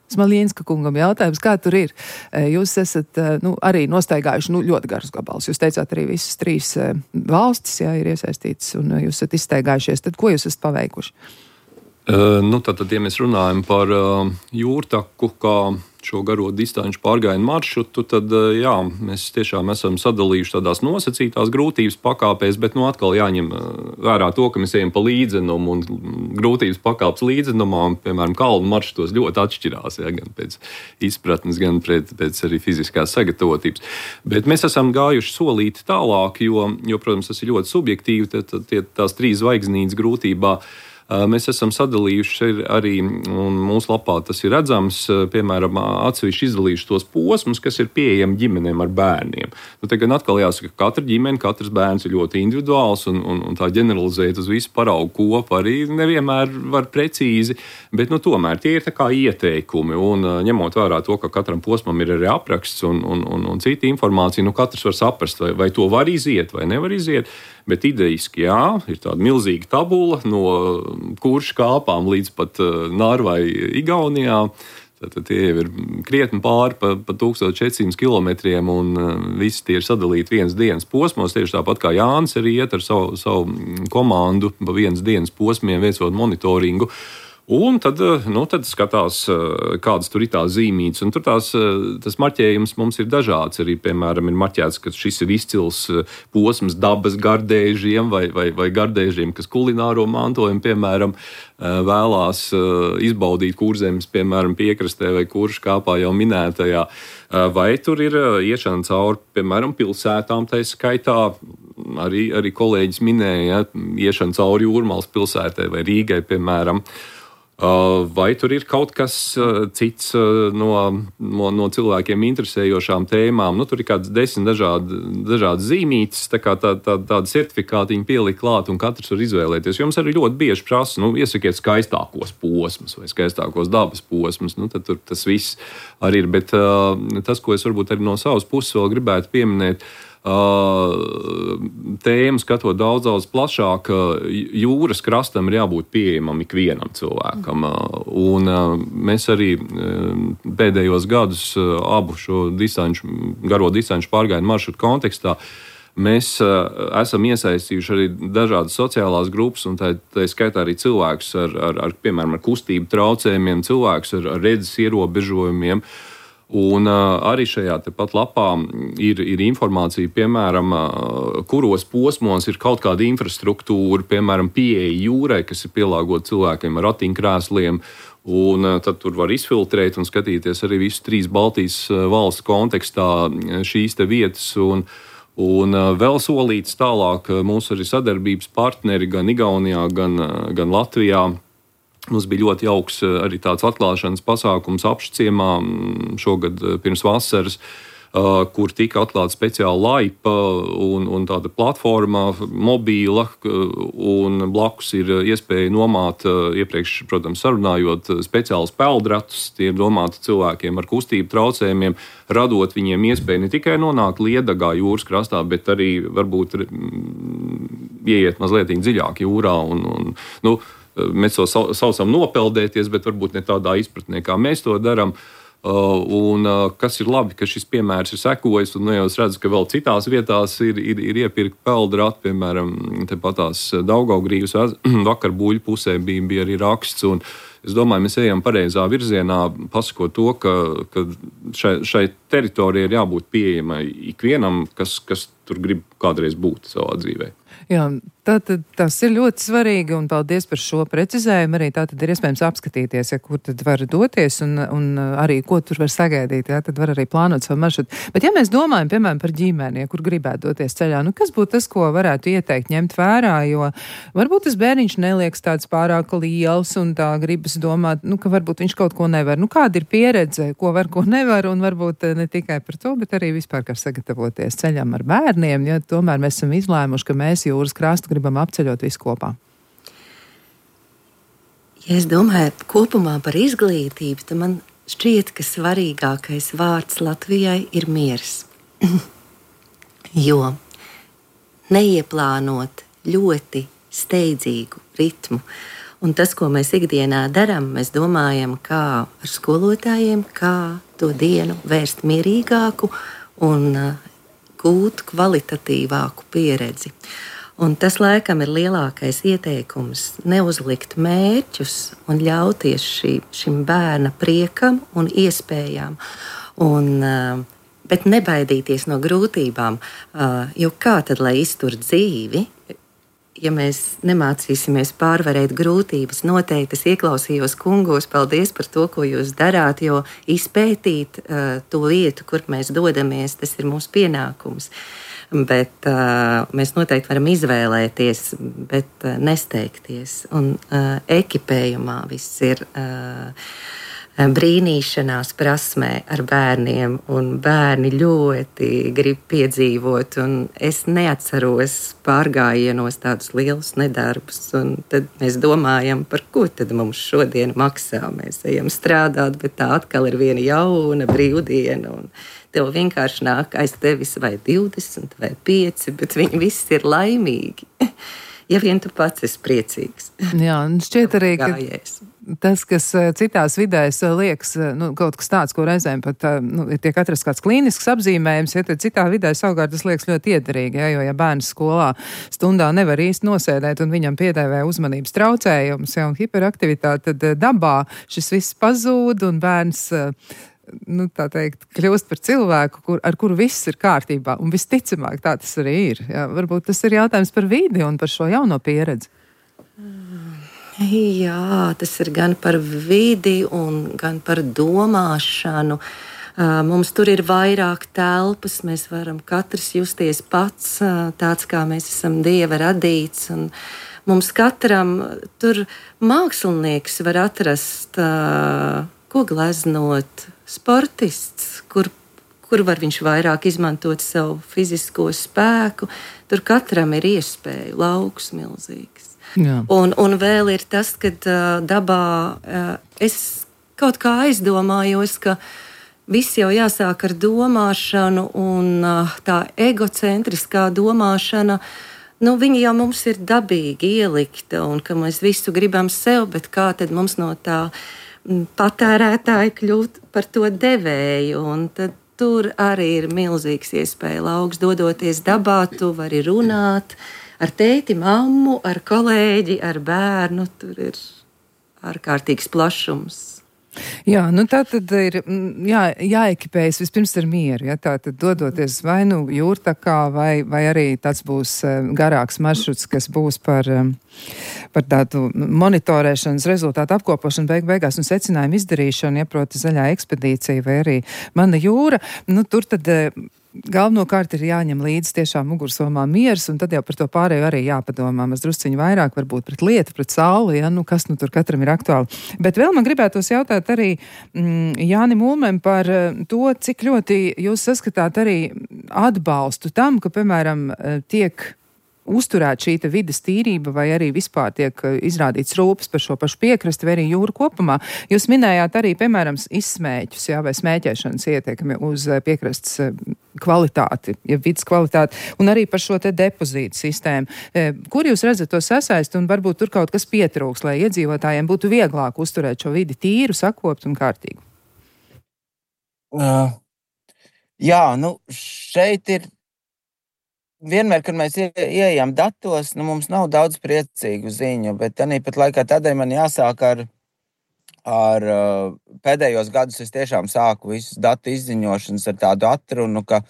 Smaļinska kungam jautājums, kā tur ir? Jūs esat arī nostaigājuši ļoti garus gabalus. Jūs teicāt arī visas 3 valstis, jā, ir iesaistītas, un jūs esat izstaigājušies. Tad ko jūs esat paveikuši?
Tātad, ja mēs runājam par jūrtaku kā šo garo distanču pārgājienu maršrutu, tad jā, mēs tiešām esam sadalījuši tādās nosacītās grūtības pakāpēs, bet atkal jāņem vērā to, ka mēs ejam pa līdzenumu un grūtības pakāpes līdzenumā, un, piemēram, kalnu maršrutos ļoti atšķirās, ja, gan pēc izpratnes, gan pēc arī fiziskās sagatavotības. Bet mēs esam gājuši solīti tālāk, jo, protams, tas ir ļoti subjektīvi, tās 3 zvaigznītes grūtībā. Mēs esam sadalījuši arī, un mūsu lapā tas ir redzams, piemēram, atsevišķi izdalījuši tos posmus, kas ir pieejami ģimenēm ar bērniem. Te gan atkal jāsaka, ka katra ģimene, katrs bērns ir ļoti individuāls, un tā ģeneralizēt uz visu paraugu kopu arī nevienmēr var precīzi, bet tomēr tie ir tā kā ieteikumi, un ņemot vērā to, ka katram posmam ir arī apraksts un cita informācija, katrs var saprast, vai to var iziet vai nevar iziet. Bet idejiski, jā, ir tāda milzīga tabula no Kurša kāpām līdz pat Narvai Igaunijā. Tad tie jau ir krietni pāri pa 1400 kilometriem, un visi tie ir sadalīti vienas dienas posmos. Tieši tāpat kā Jānis arī iet ar savu komandu pa vienas dienas posmiem, veicot monitoringu. Un tad skatās, kādas tur ir tās zīmītes. Un tur tas marķējums mums ir dažāds. Arī, piemēram, ir marķēts, ka šis ir izcils posms dabas gardēžiem vai gardēžiem, kas kulināro mantojumu, piemēram, vēlās izbaudīt Kurzemes, piemēram, piekrastē vai Kuršu kāpā jau minētajā. Vai tur ir iešana cauri, piemēram, pilsētām, tā skaitā arī kolēģis minēja, iešana cauri Jūrmalas pilsētai vai Rīgai, piemēram. Vai tur ir kaut kas cits no cilvēkiem interesējošām tēmām? Tur ir kāds 10 dažādas zīmītes, tāda certifikātiņa pielikt klāt, un katrs var izvēlēties. Jums arī ļoti bieži prasa, iesakiet skaistākos posmus vai skaistākos dabas posmus. Tad tur tas viss arī ir. Bet tas, ko es varbūt arī no savas puses vēl gribētu pieminēt, tēmu skatot daudz plašāk, jūras krastam ir jābūt pieejamam ikvienam cilvēkam. Un mēs arī pēdējos gadus abu šo garo distanču pārgājienu maršrutu kontekstā mēs esam iesaistījuši arī dažādas sociālās grupas, un tā skaitā arī cilvēkus piemēram, ar kustību traucējumiem, cilvēkus ar redzes ierobežojumiem. Un arī šajā tepat lapā ir informācija, piemēram, kuros posmos ir kaut kāda infrastruktūra, piemēram, pieeja jūrai, kas ir pielāgota cilvēkiem ar ratiņkrēsliem. Un tad tur var izfiltrēt un skatīties arī visu 3 Baltijas valstu kontekstā šīs te vietas. Un vēl solīts tālāk mūsu arī sadarbības partneri gan Igaunijā, gan Latvijā. Mums bija ļoti jauks arī tāds atklāšanas pasākums Apšciemā šogad pirms vasaras, kur tika atklāta speciāla laipa un tāda platforma mobīla, un blakus ir iespēja nomāt, iepriekš, protams, sarunājot speciālus peldratus. Tie ir domāti cilvēkiem ar kustību traucējumiem, radot viņiem iespēju ne tikai nonākt Liedagā jūras krastā, bet arī varbūt ieiet mazliet dziļāk jūrā mēs to saucam nopeldēties, bet varbūt ne tādā izpratnē, kā mēs to darām. Un kas ir labi, ka šis piemērs ir sekojis, un jau es redzu, ka vēl citās vietās ir iepirkt peldrati, piemēram, tepatās Daugavgrīvas vakar buļu pusē bija arī raksts, un es domāju, mēs ejam pareizā virzienā, pasakot to, ka šai teritorijai ir jābūt pieejamai ikvienam, kas tur grib kādreiz būt savā dzīvē.
Jā, tātad tas ir ļoti svarīgi, un paldies par šo precizējumu. Arī tātad ir iespējams apskatīties, kur tad var doties, un arī ko tur var sagaidīt. Jā, tad var arī plānot savu maršrutu. Bet ja mēs domājam, piemēram, par ģimeni, kur gribētu doties ceļā, kas būtu tas, ko varētu ieteikt ņemt vērā, jo varbūt tas bērniņš neliekas tāds pārāk liels, un tā gribas domāt, ka varbūt viņš kaut ko nevar. Kāda ir pieredze, ko var, ko nevar, un varbūt ne tikai par to, bet arī vispār kā sagatavoties ceļam ar bērniem, ja tomēr mēs esam izlēmuši, ka mēs jūras krastu gribam apceļot visu kopā.
Ja es domāju kopumā par izglītību, tad man šķiet, ka svarīgākais vārds Latvijai ir miers. Jo neieplānot ļoti steidzīgu ritmu. Un tas, ko mēs ikdienā darām, mēs domājam, kā ar skolotājiem, kā to dienu vērst mierīgāku un gūt kvalitatīvāku pieredzi. Un tas, laikam, ir lielākais ieteikums – neuzlikt mērķus un ļauties šim bērna priekam un iespējām, bet nebaidīties no grūtībām. Jo kā tad, lai iztur dzīvi, ja mēs nemācīsimies pārvarēt grūtības? Noteikti es ieklausījos kungos, paldies par to, ko jūs darāt, jo izpētīt to vietu, kur mēs dodamies, tas ir mūsu pienākums. Bet mēs noteikti varam izvēlēties, bet nesteigties. Un ekipējumā viss ir brīnīšanās prasmē ar bērniem, un bērni ļoti grib piedzīvot. Un es neatceros pārgājienos tādus lielus nedarbus, un tad mēs domājam, par ko tad mums šodien maksā. Mēs ejam strādāt, bet tā atkal ir viena jauna brīvdiena, un tev vienkārši nāk aiz tevis vai 20 vai 5, bet viņi visi ir laimīgi. Ja vien tu pats esi priecīgs.
Jā, un šķiet arī, ka tas, kas citās vidēs liekas, kaut kas tāds, ko reizēm pat tiek atrasts kāds klīnisks apzīmējums, ja tad citā vidē savukārt tas liekas ļoti iederīgi, jo ja bērns skolā stundā nevar īsti nosēdēt un viņam piedēvē uzmanības traucējums, un hiperaktivitāte, tad dabā šis viss pazūd un bērns tā teikt, kļūst par cilvēku, ar kuru viss ir kārtībā, un visticamāk tā tas arī ir. Jā, varbūt tas ir jautājums par vidi un par šo jauno pieredzi.
Jā, tas ir gan par vidi un gan par domāšanu. Mums tur ir vairāk telpas, mēs varam katrs justies pats, tāds kā mēs esam Dieva radīts. Un mums katram tur mākslinieks var atrast, ko gleznot, sportists, kur var viņš vairāk izmantot savu fizisko spēku. Tur katram ir iespēja, lauks milzīgs.
Jā.
Un vēl ir tas, ka dabā es kaut kā aizdomājos, ka viss jau jāsāk ar domāšanu, un tā egocentriskā domāšana, viņa jau mums ir dabīgi ielikta, un ka mēs visu gribam sev, bet kā tad mums no tā patērētāja kļūt par to devēju, un tad tur arī ir milzīgs iespēja lauks. Dodoties dabā, tu vari runāt ar tēti, mammu, ar kolēģi, ar bērnu. Tur ir ārkārtīgs plašums.
Jā, tā tad ir jāekipējas vispirms ar mieru. Ja? Tā tad dodoties vai jūrtakā, vai arī tāds būs garāks maršruts, kas būs par tādu monitorēšanas rezultātu apkopošanu beigās un secinājumu izdarīšanu, ja proti zaļā ekspedīcija vai arī Mana jūra. Tur tad galvenokārt ir jāņem līdzi tiešām mugursomā miers, un tad jau par to pārējo arī jāpadomā. Mēs drusciņi vairāk varbūt pret lietu, pret sauli, ja, kas tur katram ir aktuāli. Bet vēl man gribētos jautāt arī Jānim Ulmem par to, cik ļoti jūs saskatāt arī atbalstu tam, ka, piemēram, tiek uzturēt šī vides tīrība vai arī vispār tiek izrādīts rūpes par šo pašu piekrasti vai arī jūru kopumā. Jūs minējāt arī, piemēram, izsmēķus, vai smēķēšanas ietekmi uz piekrastes kvalitāti, ja vidas kvalitāti, un arī par šo te depozītu sistēmu. Kur jūs redzat to sasaisti un varbūt tur kaut kas pietrūks, lai iedzīvotājiem būtu vieglāk uzturēt šo vidi tīru, sakoptu un kārtīgu?
Jā, šeit ir vienmēr, kad mēs ieejam datos, mums nav daudz priecīgu ziņu, bet tāpat laikā tādēļ man jāsāk ar pēdējos gadus. Es tiešām sāku visus datu izziņošanas ar tādu atrunu, ka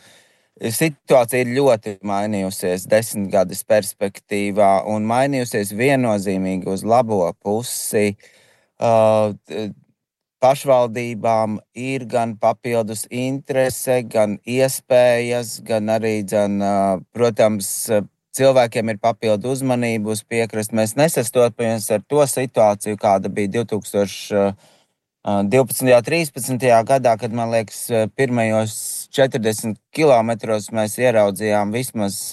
situācija ir ļoti mainījusies 10 gadus perspektīvā un mainījusies viennozīmīgi uz labo pusi. Pašvaldībām ir gan papildus interese, gan iespējas, gan arī, protams, cilvēkiem ir papildu uzmanību uz piekrasti. Mēs nesastopamies ar to situāciju, kāda bija 2012. un 2013. gadā, kad, man liekas, pirmajos 40 kilometros mēs ieraudzījām vismaz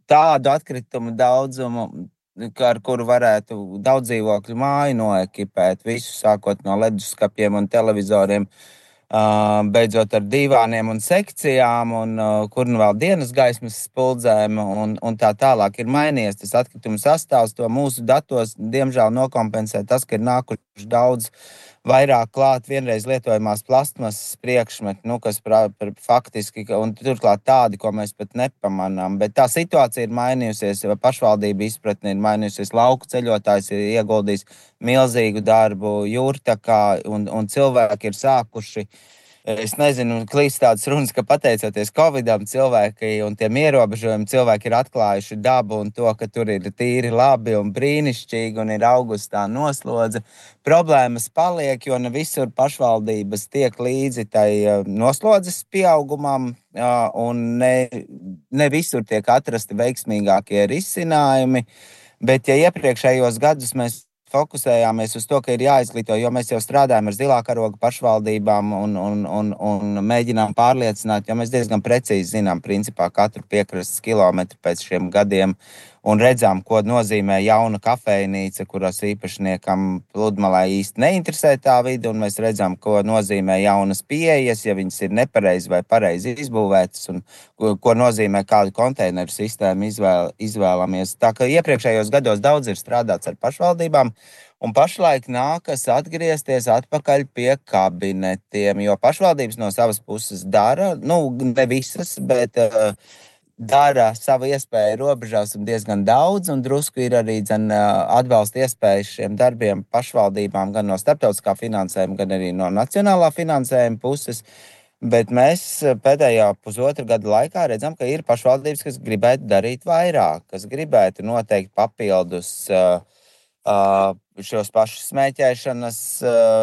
tādu atkritumu daudzumu, ar kuru varētu daudz dzīvokļu māju noekipēt, visu sākot no leduskapiem un televizoriem, beidzot ar divāniem un sekcijām, un kur vēl dienas gaismas spuldzēm un tā tālāk. Ir mainījies tas atkritumu sastāvs, to mūsu datos diemžēl nokompensē tas, ka ir nākuši daudz vairāk klāt vienreiz lietojamās plastmasas priekšmeti, kas faktiski, un turklāt tādi, ko mēs pat nepamanām. Bet tā situācija ir mainījusies, pašvaldība izpratne ir mainījusies, lauku ceļotājs ir ieguldījis milzīgu darbu jūrtakā, un cilvēki ir sākuši. Es nezinu, klīst tādas runas, ka pateicoties Covidam cilvēki un tiem ierobežojumiem cilvēki ir atklājuši dabu un to, ka tur ir tīri labi un brīnišķīgi un ir augustā noslodze. Problēmas paliek, jo ne visur pašvaldības tiek līdzi tai noslodzes pieaugumam un ne visur tiek atrasti veiksmīgākie risinājumi. Bet ja iepriekšējos gadus mēs fokusējāmies uz to, ka ir jāizglīto, jo mēs jau strādājam ar zilā karoga pašvaldībām un mēģinām pārliecināt, jo mēs diezgan precīzi zinām principā katru piekrastes kilometru pēc šiem gadiem un redzām, ko nozīmē jauna kafejnīca, kuras īpašniekam pludmalē īsti neinteresē tā vide, un mēs redzam, ko nozīmē jaunas pieejas, ja viņas ir nepareizi vai pareizi izbūvētas, un ko nozīmē kādu konteineru sistēmu izvēlamies. Tā ka iepriekšējos gados daudz ir strādāts ar pašvaldībām, Un pašlaik nākas atgriezties atpakaļ pie kabinetiem, jo pašvaldības no savas puses dara, ne visas, bet dara savu iespēju robežās un diezgan daudz, un drusku ir arī atbalsta iespējas šiem darbiem pašvaldībām gan no starptautiskā finansējuma, gan arī no nacionālā finansējuma puses. Bet mēs pēdējā pusotra gada laikā redzam, ka ir pašvaldības, kas gribētu darīt vairāk, kas gribētu noteikt papildus šos pašus smēķēšanas,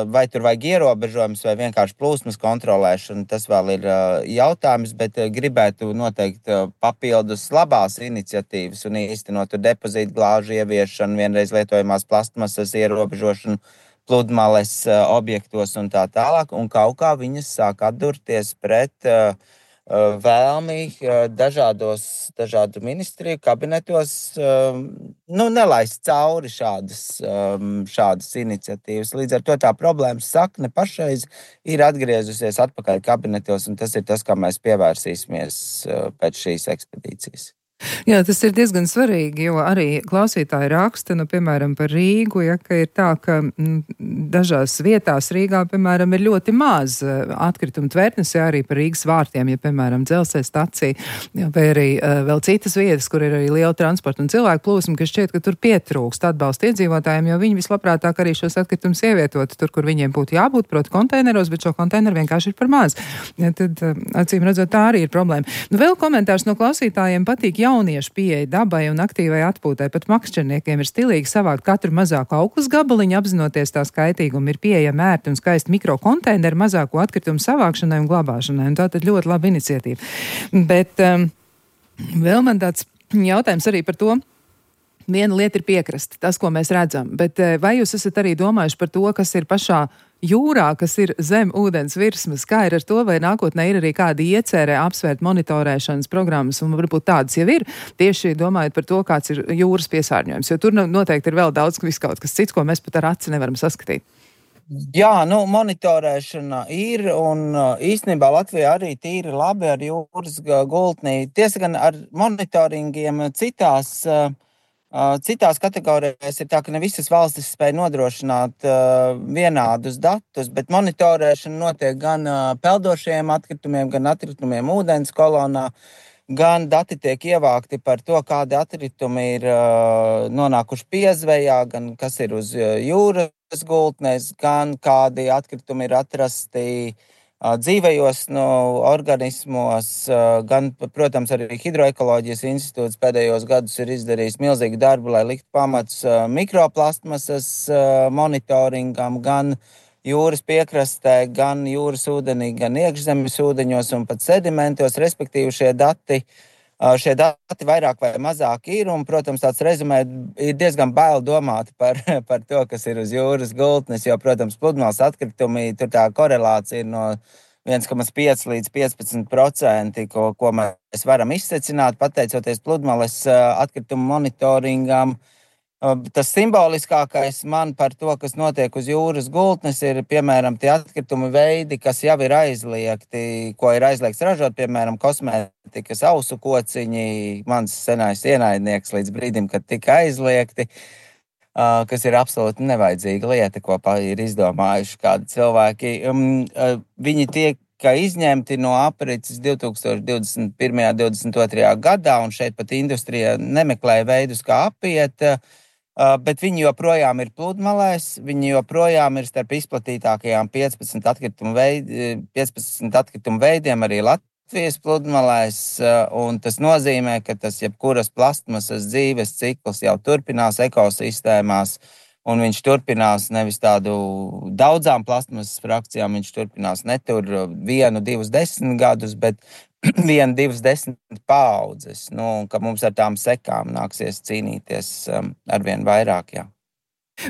vai tur vajag ierobežojums vai vienkārši plūsmas kontrolēšana. Tas vēl ir jautājums, bet gribētu noteikt papildus labās iniciatīvas un īstenot depozītu glāžu ieviešanu, vienreiz lietojamās plastmasas ierobežošanu pludmales objektos un tā tālāk. Un kaut kā viņas sāk atdurties pret vēlmi dažādu ministriju kabinetos nelaist cauri šādas iniciatīvas. Līdz ar to tā problēmas sakne pašreiz ir atgriezusies atpakaļ kabinetos, un tas ir tas, kā mēs pievērsīsimies pēc šīs ekspedīcijas.
Jā, tas ir diezgan svarīgi, jo arī klausītāji raksta, piemēram, par Rīgu, ka ir tā, ka dažās vietās Rīgā, piemēram, ir ļoti maz atkritumu tvertnes, arī par Rīgas vārtiem, piemēram, dzelzceļa stacija, vai arī vēl citas vietas, kur ir arī liela transporta un cilvēku plūsma, ka šķiet, ka tur pietrūkst atbalsta iedzīvotājiem, jo viņi vislabprātāk arī šos atkritumus ievietot tur, kur viņiem būtu jābūt, proti konteineros, bet šo konteineru vienkārši ir par maz. Ja, tad, acīm redzot, tā arī ir problēma. Vēl komentārs no klausītājiem patīk jauniešu pieeja dabai un aktīvai atpūtai. Pat makšķerniekiem ir stilīgi savākt katru mazāku auklas gabaliņu, apzinoties tā skaitīgumu. Ir pieejami ērti un skaisti mikrokonteineri mazāko atkritumu savākšanai un glabāšanai. Un tā tad ļoti laba iniciatīva. Bet vēl man tāds jautājums arī par to. Viena lieta ir piekrasta, tas, ko mēs redzam, bet vai jūs esat arī domājuši par to, kas ir pašā jūrā, kas ir zem ūdens virsmas, kā ir ar to, vai nākotnē ir arī kādi iecerē apsvērt monitorēšanas programmas, un varbūt tādas jau ir, tieši domājot par to, kāds ir jūras piesārņojums, jo tur noteikti ir vēl daudz kaut kas cits, ko mēs pat ar aci nevaram saskatīt.
Jā, monitorēšana ir, un īstenībā Latvijā arī tīri labi ar jūras gultnī. Tiesa gan ar monitoringiem citās kategorijās ir tā, ka ne visas valstis spēj nodrošināt vienādus datus, bet monitorēšana notiek gan peldošiem atkritumiem, gan atkritumiem ūdens kolonā, gan dati tiek ievākti par to, kādi atkritumi ir nonākuši piezvejā, gan kas ir uz jūras gultnes, gan kādi atkritumi ir atrasti dzīvajos organismos, gan, protams, arī Hidroekoloģijas institūts pēdējos gadus ir izdarījis milzīgu darbu, lai liktu pamats mikroplastmasas monitoringam, gan jūras piekrastē, gan jūras ūdenī, gan iekšzemes ūdeņos un pat sedimentos, respektīvi šie dati vairāk vai mazāk ir, un, protams, tāds rezumē ir diezgan bail domāt par to, kas ir uz jūras gultnes, jo, protams, pludmales atkritumi, tur tā korelācija ir no 1,5 līdz 15%, ko mēs varam izsecināt, pateicoties pludmales atkritumu monitoringam. Tas simboliskākais man par to, kas notiek uz jūras gultnes, ir, piemēram, tie atkritumi veidi, kas jau ir aizliegti, ko ir aizliegts ražot, piemēram, kosmētikas ausu kociņi, mans senais ienaidnieks līdz brīdim, kad tika aizliegti, kas ir absolūti nevajadzīga lieta, ko ir izdomājuši kādi cilvēki. Viņi tiek izņemti no aprits 2021. 2022. gadā, un šeit pat industrija nemeklēja veidus, kā apiet, bet viņi joprojām ir pludmalēs, viņi joprojām ir starp izplatītākajām 15 atkritumu veidiem arī Latvijas pludmalēs, un tas nozīmē, ka tas jebkuras plastmasas dzīves cikls jau turpinās ekosistēmās, un viņš turpinās nevis tādu daudzām plastmasas frakcijām, viņš turpinās ne tur 1, 2, 10 gadus, bet 1, 2, 10 paaudzes, ka mums ar tām sekām nāksies cīnīties arvien vairāk, jā.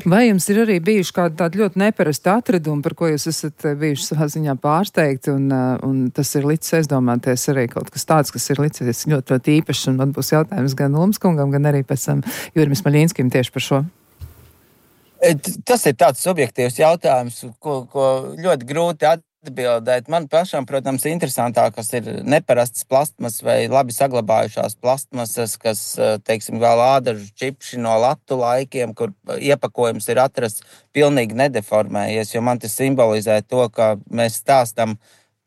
Vai jums ir arī bijuši kādi tādi ļoti neparasti atradumi, par ko jūs esat bijuši savā ziņā pārsteigti, un tas ir licis aizdomāties arī kaut kas tāds, kas ir licis ļoti, ļoti īpašs, un man būs jautājums gan Lumskungam, gan arī pēc tam Jurim Smaļinskim tieši par šo?
Tas ir tāds subjektīvs jautājums, ko ļoti grūti atbildēt. Man pašam, protams, interesantākas ir neparastas plastmasas vai labi saglabājušās plastmasas, kas, teiksim, vēl ādažu čipši no latu laikiem, kur iepakojums ir atrasts pilnīgi nedeformējies, jo man tas simbolizē to, ka mēs stāstam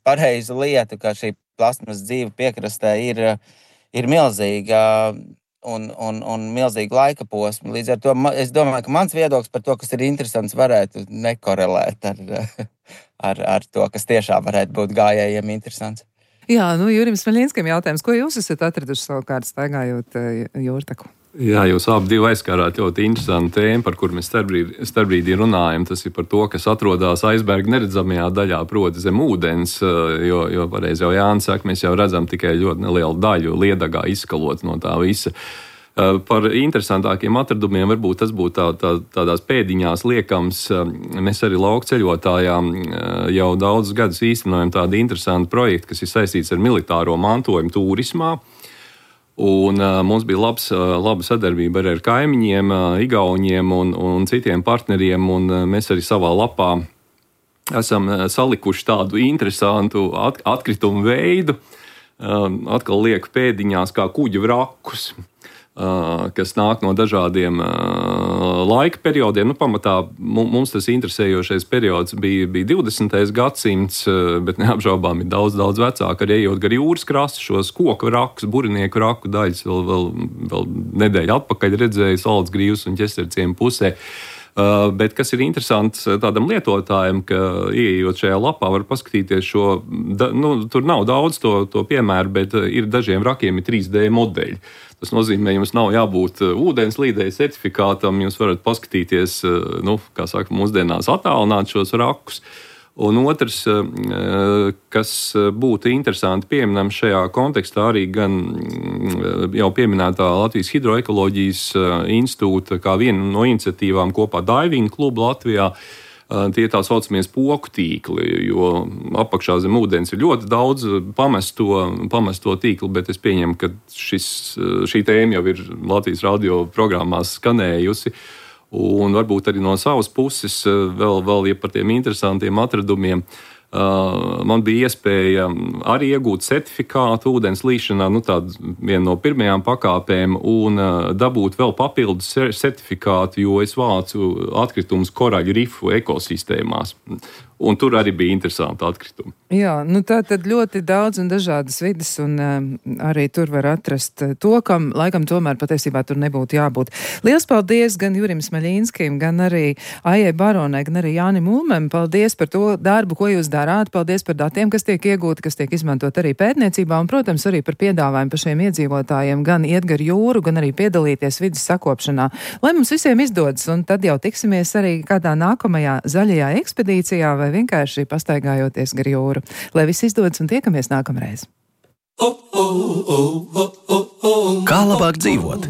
pareizu lietu, ka šī plastmasas dzīve piekrastē ir milzīga un milzīga laika posma. Līdz ar to es domāju, ka mans viedoklis par to, kas ir interesants, varētu nekorelēt ar to, kas tiešām varētu būt gājējiem interesants.
Jā, Jurim Smaļinskim jautājums, ko jūs esat atraduši savukārt staigājot jūrtaku?
Jā, jūs abi aizskārāt ļoti interesantu tēmu, par kur mēs starpbrīdī runājam. Tas ir par to, kas atrodas aizberga neredzamajā daļā, proti zem ūdens, jo pareizi jau Jānis saka, mēs jau redzam tikai ļoti nelielu daļu liedagā izskalot no tā visa. Par interesantākiem atradumiem varbūt tas būtu tādās pēdiņās liekams. Mēs arī laukceļotājām jau daudzus gadus īstenojam tādu interesantu projektu, kas ir saistīts ar militāro mantojumu turismā. Un mums bija laba sadarbība arī ar kaimiņiem, Igauniem un citiem partneriem, un mēs arī savā lapā esam salikuši tādu interesantu atkritumu veidu, atkal lieku pēdiņās kā kuģu vrakus, kas nāk no dažādiem laika periodiem. Pamatā mums tas interesējošais periods bija 20. gadsimts, bet neapšaubām ir daudz vecāk, arī ejot gar jūras krastu šos koku vrakus, burinieku vraku daļas vēl nedēļu atpakaļ redzēju Salacgrīvas un Ķesterciema pusē. Bet kas ir interesants tādam lietotājam, ka ieejot šajā lapā var paskatīties šo, tur nav daudz to piemēru, bet ir dažiem vrakiem ir 3D modeļi. Tas nozīmē, jums nav jābūt ūdenslīdēja certifikātam, jūs varat paskatīties, kā saka, mūsdienās attālināt šos vrakus. Un otrs, kas būtu interesanti pieminam šajā kontekstā, arī gan jau pieminētā Latvijas Hidroekoloģijas institūta kā viena no iniciatīvām kopā Diving klubu Latvijā. Tie ir tā saucamie spoku tīkli, jo apakšā zem ūdens ir ļoti daudz pamesto tīklu, bet es pieņemu, ka šī tēma jau ir Latvijas radio programmās skanējusi. Un varbūt arī no savas puses vēl par tiem interesantiem atradumiem. Man bija iespēja arī iegūt certifikātu ūdens līšanā, tādu vienu no pirmajām pakāpēm, un dabūt vēl papildus certifikātu, jo es vācu atkritumus koraļu rifu ekosistēmās. Un tur arī bija interesanti atkritumi.
Jā, tā tad ļoti daudz un dažādas vidas, un arī tur var atrast to, kam laikam tomēr patiesībā tur nebūtu jābūt. Liels paldies gan Jurim Smaļinskim, gan arī Aijai Baronai, gan arī Jānim Ulmem. Paldies par to darbu, ko jūs darāt. Paldies par datiem, kas tiek iegūti, kas tiek izmantot arī pētniecībā, un, protams, arī par piedāvājumu pašiem iedzīvotājiem gan iet gar jūru, gan arī piedalīties vidas sakopšanā. Lai mums visiem izdodas, un tad jau tiksimies arī kādā nākamajā zaļajā ekspedīcijā vai vienkārši pastaigājoties gar jūru. Lai viss izdodas un tiekamies nākamreiz.
Kā labāk dzīvot?